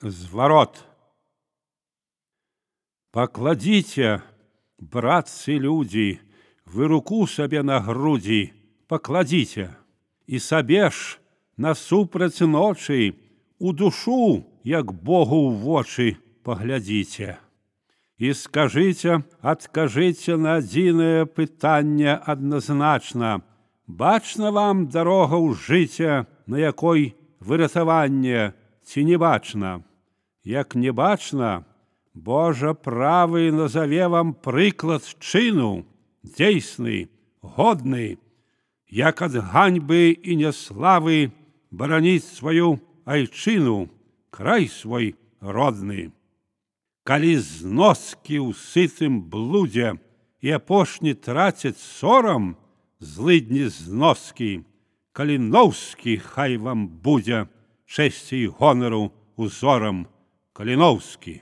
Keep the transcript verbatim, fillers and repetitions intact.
Зварот. Пакладзіце, братцы людзі, вы руку сабе на грудзі пакладзіце, і сабе ж насупраць ночы у душу, як Богу ў вочы, паглядзіце. І скажыце, адкажыце на адзінае пытанне адназначна: бачна вам дарога ў жыце, на якой выратаванне, ці не бачна? Як не бачна, Божа правы назаве вам прыклад чыну, дзейсны, годны, як ад ганьбы і няславы бараніць сваю айчыну, край свой родны. Калі зноскі ў сытым блудзе і апошні трацяць сорам, злыдні зноскі, Каліноўскі хай вам будзе чэсці і гонару узорам. Каліноўскі.